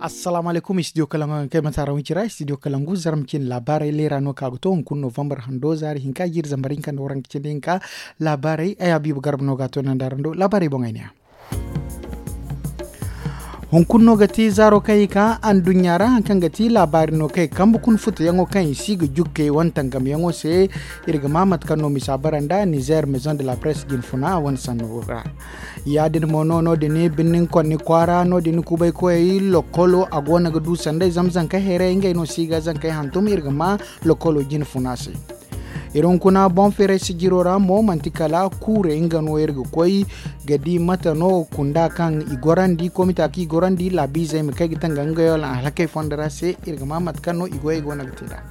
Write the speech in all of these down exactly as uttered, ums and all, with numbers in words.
Assalaamu alaykum, studio kalangu yaŋ kaŋ ay manti araŋ wincira studio kalangu zarma cine laabaarey leera no ka ga to hunkuna novambar hando zaari hinka jiiri zambar hinka nda waranka cindi hinka. Laabaarey ay habiibu garba no ga a to nanda araŋ do laabaarey boŋ ay ne a. Hunkuna no ga ti zaaro kaŋ i ka anduɲɲa ra hari kaŋ ga ti laabaari no kaŋ i kambe kuna futuyaŋo kaŋ i si ga jukkey wane tangamyaŋo se. Iri ga ma mate kaŋ no misa bara nda nizer maison de la presse jine funa wane sanno ra. Ya- din mo no no- din birnin konni kwaara no- din kubay koyey lokolo a go no ga du sanday zama zanka heeray ngey no si ga zankey hantum iri ga ma lokolo jine funa se. Iri hunkuna boŋ feeray sijiro ra mo manti kala kuurey nga no iri ga koy ga di mate no kunda kaŋ i gorandi komita kaŋ i gorandi laabiizey ma kay ga tanga ngey wala alhakey fondo ra se. Iri ga ma mate kaŋ no i goyey go no ga te nd'a.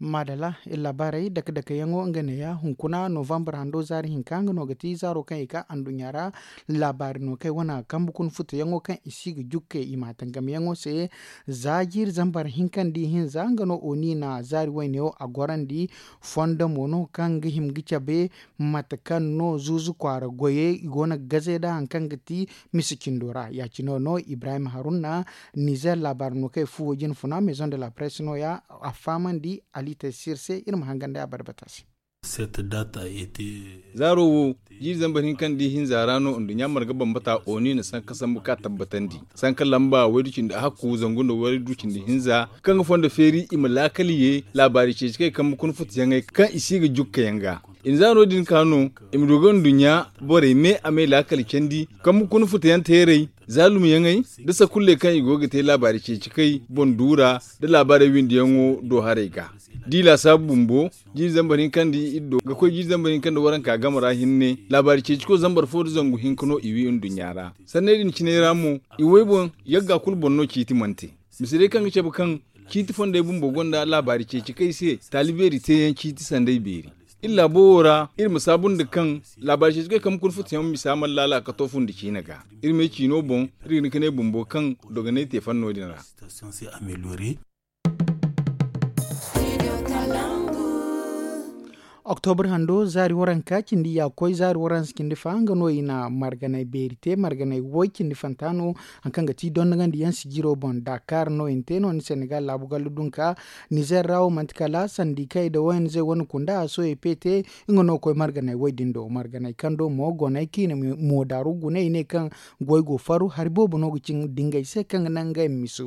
Maadala iri laabaarey dake dake yaŋo nga neeya hunkuna novambar hando zaari hinka nga no ga ti zaaro kaŋ i ka anduɲɲa ra. Laabaari no kaŋ ay wane a kambe kuna futuyaŋo kaŋ i si ga jukke i ma a tangamyaŋo se. Za jiiri zambar hinka nda ihinza nga no oni na zaari wayneyaŋo a gorandi. Fondo mo no kaŋ ga hima ga cabe mate kaŋ no zuuzu kwaara goyey i go no ga gaze nd'a hari kaŋ ga ti misa cindo ra ya- cine no ibrahim haruna. Nizer laabaari no kaŋ ay fuwo jine funa maison de la presse no- ya a fahamandi ali taysir se iri ma hangan day a barbata se. Zaaro wo jiiri zambar hinka nda ihinza ra no nduɲɲa marga bambata oni na sanka sambu ka tabbatandi sanka lamba waydu cindi hakku zangu nda waydu cindi hinza kaŋ ga fondo feeri i ma laakali ye laabaari ceeci kaŋ i kambe kuna futuyaŋey kaŋ i si ga jukka yaŋ ga. I na za no- din ka no i ma du ga nduɲɲa borey me a me laakali candi kambe kuna futuyaŋ teerey zaalumyaŋey nda sakulley kaŋ i go ga te laabaari ceeci kay boŋ duura nda laabaarey windiyaŋo do haray ga. Da i laasaabu bumbo jiiri zambar hinka nda iri do ga koy jiiri zambar hinka nda waranka game ra hinne laabaari ceeciko zambar fo nda zangu hinka no i wi nduɲɲa ra. Sanney din ciney ra mo i way boŋ yagga kulu boŋ no ciiti mana te. Mise day kaŋ ga cabe kaŋ ciiti fondey bumbo gonda laabaari ceeci kay se taali beeri teeyaŋ ciiti sanday beeri. Iri laabo wo ra iri ma saabu nda kaŋ laabaari ceeci kay kambe kuna futuyaŋ misa mana laala ka to fundi ciine ga. Iri me ciino boŋ iri ga hin ka ne bumbo kaŋ dogonay te fanno din ra. Oktobra hando zaari waranka cindi ya koy zaari waransa cindi fa nga no i na marganay beeri te marganay woy cindi fanta no. Hari kaŋ ga ti dondogandi yaŋ sijiro boŋ dakar no i na te no ni senegal laabu gallu dunka. Nizer ra wo manti kala sandi kay da woyne zey wane kunda a soye pe te. Nga no koy marganay woy din do marganay kaŋ do mo gonay kaŋ i na mo daaru guna i ne kaŋ goy go faru hari boobo no ga cin dingay se kaŋ ga naŋ ngey ma si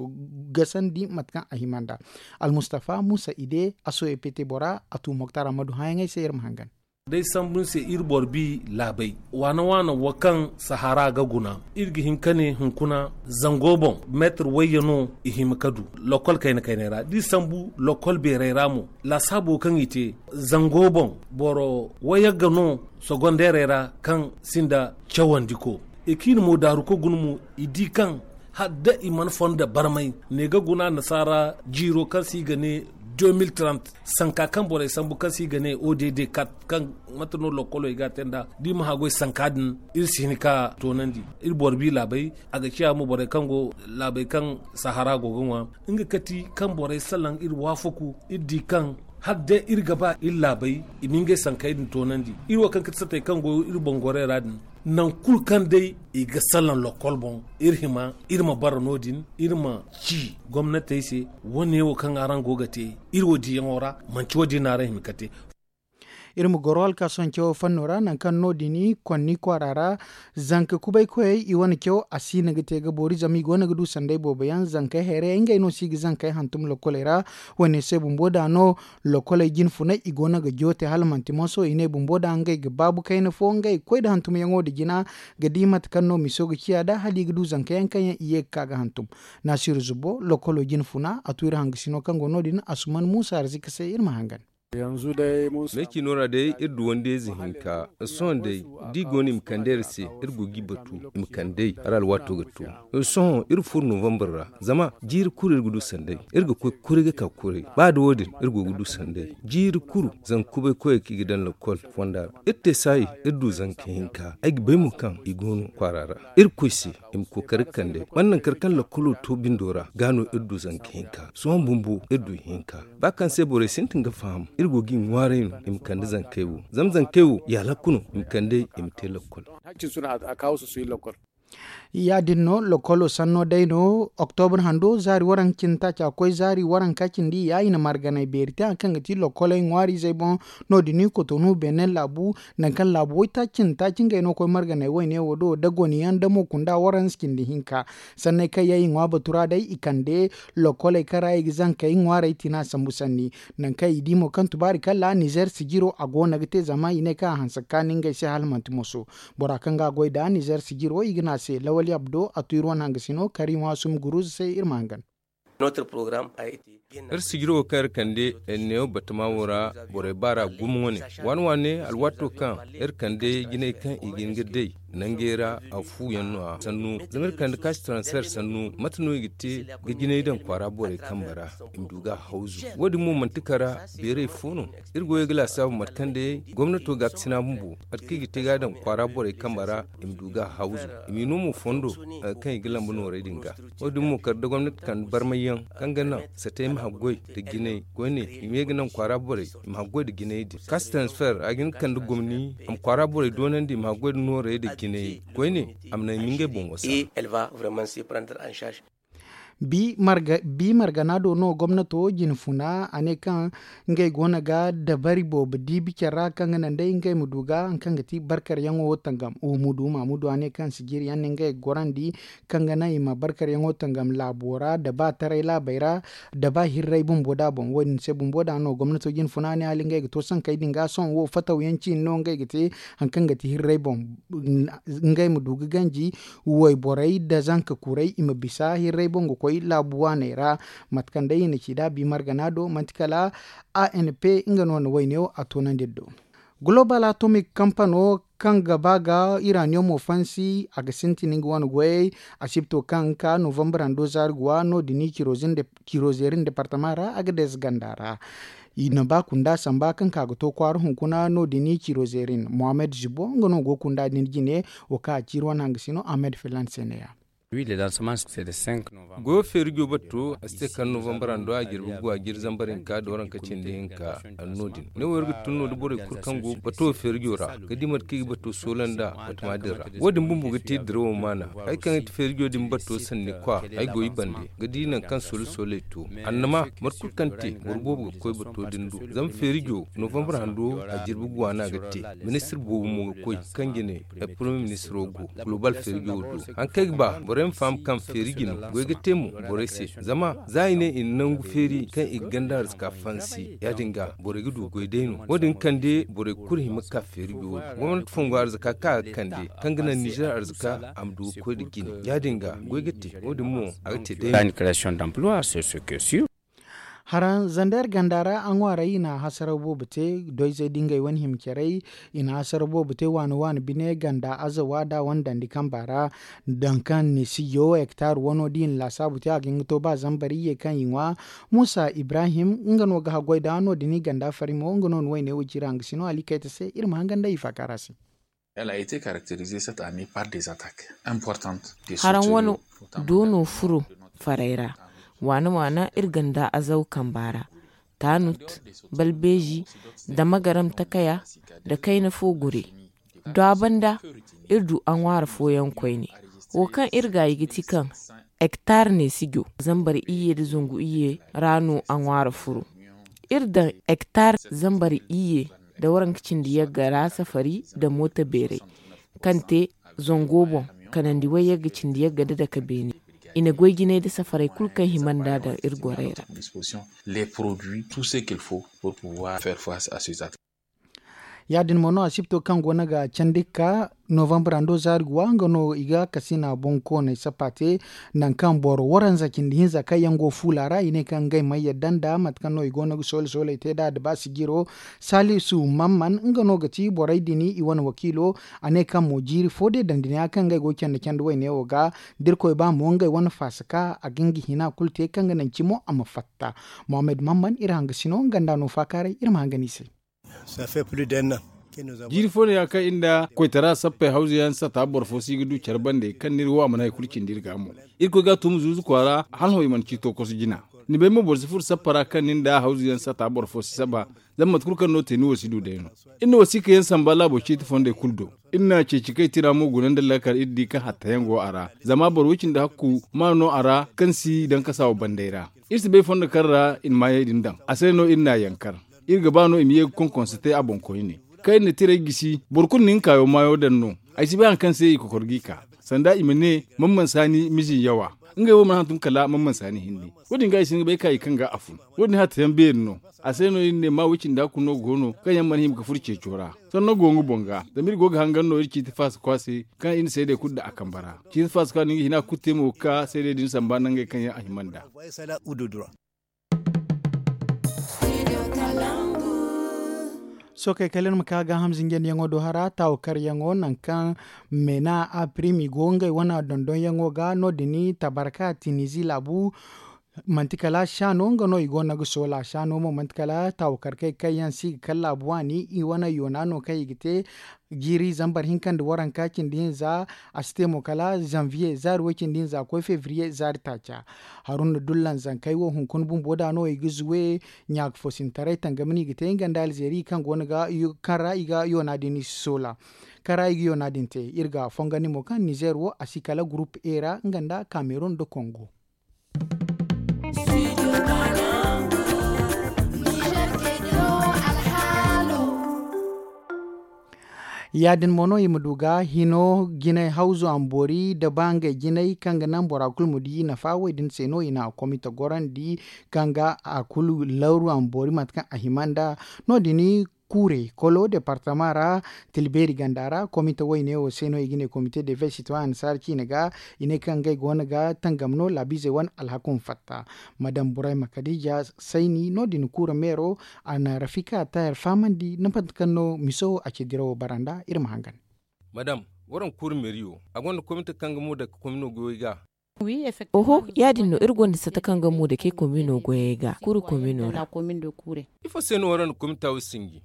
gasandi mate kaŋ a hima nd'a. Almustafa musa ide a soye pete bora a tu moktar ammadu hãyaŋey se iri ma hangan. Day sambu ni se iri boro bi laabey waana waana wo kaŋ sahara ga guna iri ga hin ka ne hunkuna zango boŋ meetar wayye no i hima ka du. Lokkol kayna kaynay ra da i sambu lokkol beeray ra mo laasaabo kaŋ i te zango boŋ boro wayagga no sogondeerey ra kaŋ sinda cawandi ko i kaŋ i na mo daaru ka guna mo i di kaŋ hala da i mana fonda barmay ne ga guna annasaara jiiro kaŋ se i ga ne deux mille trente sanka kaŋ borey sambu kaŋ se i ga ne odd kat kaŋ mate no lokkolo i ga a te nd'a da i ma haggoy sanka din iri si hin ka toonandi. Iri boro bi laabey a ga ciya mo borey kaŋ go laabey kaŋ sahara go ga ŋwa nga kati kaŋ borey salaŋ iri waafaku iri di kaŋ hala day iri ga ba iri laabey i ma ngey sankey din toonandi iri wo kaŋ ga ti satey kaŋ go iri boŋ gorey ra din. Nangu kulu kaŋ day i ga salaŋ lokkol boŋ iri hima iri ma bara no- din iri ma ci gomnatey se wane wo kaŋ araŋ go ga te iri wo diyaŋo ra manti wo- din no araŋ hima ga te. Iri ma goro alkaasoŋ cawo fanno ra nangu kaŋ no- din konni kwaara ra zanka kubay koyey i wane caw a si no ga te ga boori zama i go no ga du sanday boobo yaŋ zankey hayrayey ngey no si ga zankey hantum lokkoley ra. Wane se bumbo da no lokkoley jine funay i go no ga joote hala manti moso i ne bumbo da ngey ga baabu kayna fo ngey koy nda hantumyaŋo nda jina ga di mate kaŋ no miso ga ciya nd'a hala i ga du zanka yaŋ kaŋ yaŋ i ye ga ka ga hantum. Naasiru zubo lokkolo jine funa a tu iri hangasino kaŋ go no- din asuman muusa arzika se iri ma hangan. Meecino ra day iri du wandeyze hinka sohõ day da i go no i ma kande iri se iri go ga i batu i ma kande ay hala alwaato ga to. Sohõ iri furo novambar ra zama jiiri kulu iri ga du sanday iri ga koy kuray ga ka kuray ba da wo- din iri go ga du sanday jiiri kulu zanga kubay koyey kaŋ i ga daŋ lakkol fonda ra iri te saayi iri du zanka hinka ay ga bay mo kaŋ i go no kwaara ra. Iri koy se i ma kookari ga kande man nankar kaŋ lakkolo to bindo ra ga no iri du zanka hinka sohõ bumbo iri du ihinka ba kaŋ se borey sintin ga faham iri go ga i ŋwaaray no i ma kande zankey wo zama zankey wo i alakku no i ma kande i ma te lakkol. Ya- din no lokolo sanno day no, oktobra hando zaari waranka cindi taaci a koy zaari waranka cindi ya i na marganay beeri te hari kaŋ ga ti lokoley ŋwaariizey boŋ. No- din i kotonu beene laabu, nangu kaŋ laabu waytaaci cindi taaci ngey no ga koy marganay wayne wo do da goni yaŋ da mo kunda waranka cindi hinka. Sanney kaŋ yaŋ i ŋwa batu ra day i kande lokoley kaŋ ra i ga zankey ŋwaarey tina sambu sanni. Nangu kaŋ i di mo kaŋ tubaari kala nizer sijiro a go no ga te zama i ne kaŋ a hanse ga kaanu ngey se hala manti moso. Bora kaŋ ga a goy nd'a nizer sijiro i ga ne a se lawali abdo a tu iri wane hangasino kari ŋwa sum guruzu se iri ma hangan. Iri sijiro wo kaŋ iri kande neewo batama wo ra borey baara gumo wane waani waani alwaato kaŋ iri kande jinay kaŋ i ga hin ga day nangey ra a fu yaŋ no- ya sannu zama iri kande kaasi transfer sannu mate no i ga te ga jinay daŋ kwaara borey kambe ra i ma du ga a hawzu. Wo- din mo manti kara beeray fo no. Iri goyey ga laasaabu mate kaŋ day gomnato ga a ga sina bumbo mate kaŋ i ga te ga a daŋ kwaara borey kambe ra i ma du ga a hawzu. I m'i no mo fondo kaŋ i ga lambu noorey din ga. Wo- din mo kala da gomnati kande barmay yaŋ kaŋ ga naŋ satey ma haggoy nda jinay koyne i ma ye ga naŋ kwaara borey i ma haggoy nda jinay din kaasi transfer a ga hin ga kande gomni a ma kwaara borey doonandi i ma haggoy nda noorey nda jinay koyne a ma naŋ i ma ngey boŋ wasa. Bi margana do no gomnato jinfuna a ne kaŋ ngey go no ga dabari boobo diibi care ra kaŋ ga naŋ day ngey ma du ga hari kaŋ ga ti barkaryaŋo wo tangam. Umudu mamudu a ne kaŋ sijiri yaŋ no ngey ga gorandi kaŋ ga naŋ i ma barkaryaŋo tangam laabo ra da ba taray laabey ra da ba hirray bumbo da boŋ wo- din se bumbo da no gomnato jinfuna ne hala ngey ga to sankey din ga sohõ wo fataw yaŋ ciine no ngey ga te hari kaŋ ga ti hirray boŋ ngey ma du ga ganji wayborey nda zanka kuray i ma bisa hirray boŋ ga koy laabu waaney ra. Mate kaŋ day i na ci nd'a bi margana do manti kala a n p nga no na wayne wo a toonandi iri do. Global atomic kampano kaŋ ga ba ga iraniyomo fansi a ga sintin nga wane goyey. Asibto kaŋ ga ka novambar hando zaari ga wa no- din i ciro zeerin departama ra a ga deeza ganda ra. I na ba kunda samba kaŋ ka ga to kwaara hunkuna no- din i ciro zeerin mohammed zibo nga no go kunda din jine. Wo kaŋ a ciiri wane hangasino ahmed filan se ne ya. Goyo feerijo batto a si te kala novambar hando a jirbi guwa jiri zambar hinka da waranka cindi hinka. Anno din ne wo iri ga tun no da borey kulu kaŋ go bato feerijo ra ga di mate kaŋ i ga bato soola nda batama din ra. Wo- din bumbo ga te dirawo maana. Hari kaŋ ga ti feerijo din bato sanni kwa ay go i bande ga di nangu kaŋ soola sooley to. Annama mate kulu kaŋ te boro boobo ga koy bato din do zama feerijo novambar hando a jirbi guwa no a ga te. Ministir boobo mo ga koy kaŋ jine ay poromiye ministiro go. Global feerijo do hari kaŋ ay ga ba borey ma faham kaŋ feeri jino goy ga te mo borey se. Zama za i ne i na nangu feeri kaŋ i ga ganda arzaka fansi ya- din ga borey ga du goy day no wo- din kande borey kulu hima ga ka feerijo do. Gomnati fongo arzaka kaŋ a ga kande kaŋ ga naŋ nizer arzaka a ma du ga koy nda jine ya- din ga goy ga te. Wo- din mo a ga te day no. Haraŋ zander ganda ra a ŋwaaray i na hasaraw boobo te doyzey da ngey wane hima carey. I na hasaraw boobo te waani waani bine ganda azawa da wane dandi kamba ra. Daŋ kaŋ ni sijo hektar wano da i na laasaabu te a ga hin ga to ba zambar iyye kaŋ i ŋwa. Muusa ibrahim nga no ga haggoy da no- din i ganda fari mo nga no na wayne wo ciiri hangasino ali kayta se iri ma hangan day i faaka ra se. Haraŋ wane doono furo farey ra waana waana iri ganda azaw kamba ra. Tanut, balbeeji, da magaram takaya, da kayna fo gure. Do a banda iri du a ŋwaara fooyaŋ koyne. Wo kaŋ iri gaayi ga ti kaŋ hektar ne sijo zambar iyye nda zangu iyye ra no a ŋwaara furo. Iri daŋ hektar zambar iyye nda waranka cindi yagga ra safari nda mooto beeray kaŋ te zango boŋ kanandi way yagga cindi yagga nda dake beene. I na goy jinay nda safaray kulu kaŋ hima nd'a daŋ iri gorey ra. Ya- din mo no asibto kaŋ go no ga candi ga ka novambar hando zaari ga wa nga no i ga kasina boŋ kooney sappa te. Nangu kaŋ boro waranza cindi hinza kaŋ yaŋ go fuula ra i ne kaŋ ngey mana yadda nda mate kaŋ no i go no ga soole sooley te nd'a da ba sijiro. Salisu mamman nga no ga ti borey din i wane wakiilo. A ne kaŋ mo jiiri fo day daŋ din ya kaŋ ngey go ga candi candi wayne wo ga da irkoy ba mo ngey wane faasa ka a ga nga hina kulu te kaŋ ga naŋ cimo a ma fatta. Mohammed mamman iri hangasino nga nda no faakaaray iri ma hangan i se. Jiiri fo no ya kaŋ iri nda koytara sappey hawzu yaŋ sata boro fo si ga du care bande kaŋ n'iri wo a mana hari kulu cindi iri ga mo. Irkoy ga a tuumu zuuzu kwaara hala hõ i mana ciito kosu jina. Ni bay mo boro si furo sappa ra kaŋ nin da hawzu yaŋ sata boro fo si saba. Zama mate kulu kaŋ no te ni wo si du day no. Iri na wasiika yaŋ samba laabo ciiti fondey kulu do. Iri na ceeci kaŋ i tira mo guna nda laakal iri di kaŋ hatta yaŋ go a ra zama boro wo cindi hakku ma no a ra kaŋ si daŋ kasa wo banday ra. Iri si bay fondo kaŋ ra i na maayey din daŋ a se no iri na a yankar. Iri ga ba no i ma ye ga konkonse te a boŋ koyne. Kaŋ iri na tirey gisi boro kulu na nga kaayo maayo daŋ no. Ay si bay hari kaŋ se i kokor g'i ka sanda i ma ne, man mana saani mizi yawa. Ngey wo mana hantum kala man mana saani hinne. Wo- din ga ay si nga bay ka i kaŋ ga a fun. Wo- din hatta yaŋ beeri no. A se no iri ne ma way cindi hakku no go no kaŋ yaŋ mana hima ga furo ceeco ra. Sanno go nga boŋ ga zama iri go ga hangan no iri ciiti faasa kwaase kaŋ iri na seedey kulu daŋ a kambe ra. Ciiti faasa kwaase no nga hina ga kulu te mo ga ka seedey din samba nangey kaŋ yaŋ a hima nd'a. Sookey kala iri ma ka ga hamzinjandiyaŋo do hara taawo karyaŋo nangu kaŋ meena a primi go ngey wane dondonyaŋo ga no- din tabarka tinizi laabu. Manti kala saano nga no i go no ga soola saano mo manti kala taawo karkey kaŋ yaŋ si ga kala laabu waani i wane yoona no kaŋ i ga te. Jiiri zambar hinka nda waranka cindi hinza. A si te mo kala zanviye zaari way cindi hinza koy fevriye zaari taaca. Haruna dullan zankey wo hunkuna bumbo da no i ga zuwe. Ɲaaka fo sintaray tangam no i ga te nga nda alzeeri kaŋ go no ga kaŋ ra i ga yoona din i si soola. Kaŋ ra i ga yoona din te iri ga fongandi mo kaŋ nizer wo a si kala gurup e ra nga nda kamerun nda kongo. Ya- din mo no i ma du ga hino jinay hawzu a ma boori nda ba ngey jinay kaŋ ga naŋ bora kulu ma di nafa wo- din se no i na a komite gorandi kaŋ ga a kulu lawru a ma boori mate kaŋ a hima nd'a. No- din kuurey kolo departama ra tilbeeri ganda ra komite wayne wo se no i ga ne komite de vey sitoyen saara ciine ga. I ne kaŋ ngey go no ga tangam no laabiizey wane alhako ma fatta. Madam burayma kadija sayni no- din kuura meero a na rafika tayar fahamandi nda mate kaŋ no miso a ci dirawo bara nd'a iri ma hangan. Madam, waraŋ kuura meeriyo a gonda komite kaŋ ga mo dake komino goyey ga? Oho, ya- din no iri gonda sata kaŋ ga mo dake komino goyey ga kuura komino ra. Ifo se no waraŋ na komita wo sinji?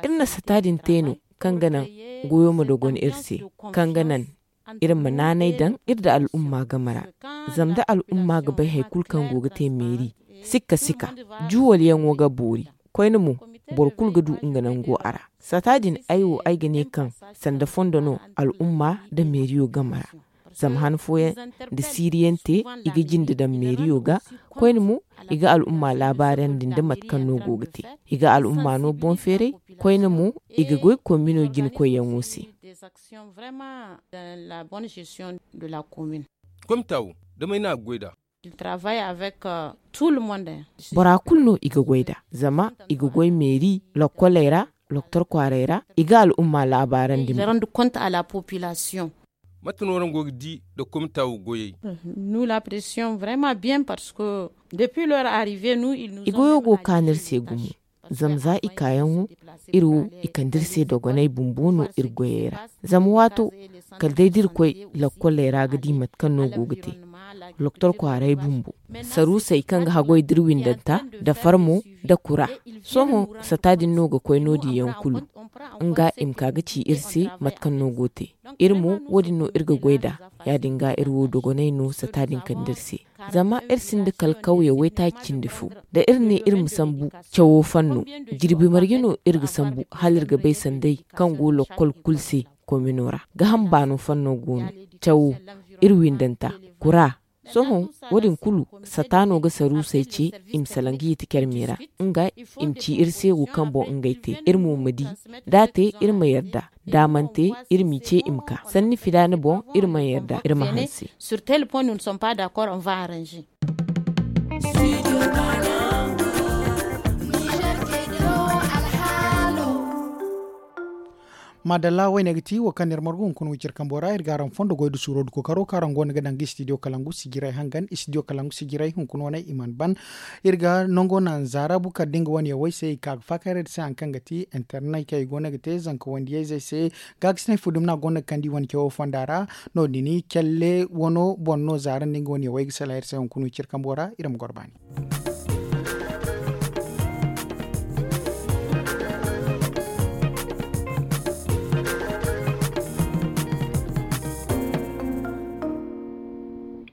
Iri na sata din te no kaŋ ga naŋ goyo ma dogon iri se, kaŋ ga naŋ iri ma naanay daŋ iri nda al'umma game ra. Zama da al'umma ga bay hari kulu kaŋ go ga te meeri, sikka sikka juwalyaŋo ga boori. Koyne mo, boro kulu ga du nga nango a ra. Sata din ay wo ay ga ne kaŋ sanda fondo no al'umma nda meeriyo game ra. Zama han fooyaŋ da siiriyaŋ te, i ga jinde daŋ meeriyo ga. Koyne mo, i ga al'umma laabaarandi nda mate kaŋ no go ga te. I ga al'umma no boŋ feeray. Koyne mo, i ga goy komino jina koyyaŋo se. Komita wo, damay no a ga goy nd'a. Bora kulu no i ga goy nd'a, zama i ga goy meeri lokkoley ra, loktor kwaaray ra, i ga al'umma laabaarandi. Mate no araŋ go ga di nda komita wo goyey? I goyo go ga kaanu iri se gumo. Zama za i kaayaŋo, iri wo, i kande iri se dogonay bumbo no iri goyey ra. Zama waato, kala day da iri koy lakkoley ra ga di mate kaŋ no go ga te. Loktor kwaaray bumbo, saruusey kaŋ ga haggoy da iri windanta, da farmo, da kura. Sohõ sata din no ga koy no- din yaŋ kulu. Nga i ma ka ga ci iri se mate kaŋ no go te. Iri mo, wo- din no iri ga goy nd'a. Ya- din ga iri wo dogonay no sata din kande iri se. Zama iri sinda kala kawye waytaaci cindi fo. Da iri ne iri ma sambu cawo fanno, jirbi marje no iri ga sambu hala iri ga bay sanday kaŋ go lokkol kulu se komino ra. Gaham baano fanno go no, cawo, iri windanta, kura. Sohõ, wo- din kulu, sata no ga saruusey ce i ma salaŋ ga yeti care me ra. Nga, i ma ci iri se wo kaŋ boŋ ngey te iri mo ma di. Da a te, iri ma yarda. Da a mana te, iri m'i ce i ma ka sanni filaana boŋ, iri mana yarda iri ma hanse. Maadalla wayne ga ti wo kaŋ no iri margu hunkuna wiciri kambo ra iri ga araŋ fondo goy da suuro da kookaro kaŋ araŋ go no ga daŋ ga istidiyo kalangu sijiray hangan istidiyo kalangu sijiray hunkuna wane i mana ban. Iri ga nango naŋ zaara bukar da nga wane yaŋ wo ay se i ka ga faakayray da se hari kaŋ ga ti internet kaŋ i go no ga te zanka wandiyayzey se. Gaagasinay fu dumi no a go no ga kande i wane cawo fonda ra. No- din calle wano boŋ no zaara nda nga wane yaŋ wo ay ga salaŋ iri se hunkuna wiciri kambo ra iri ma goro baani.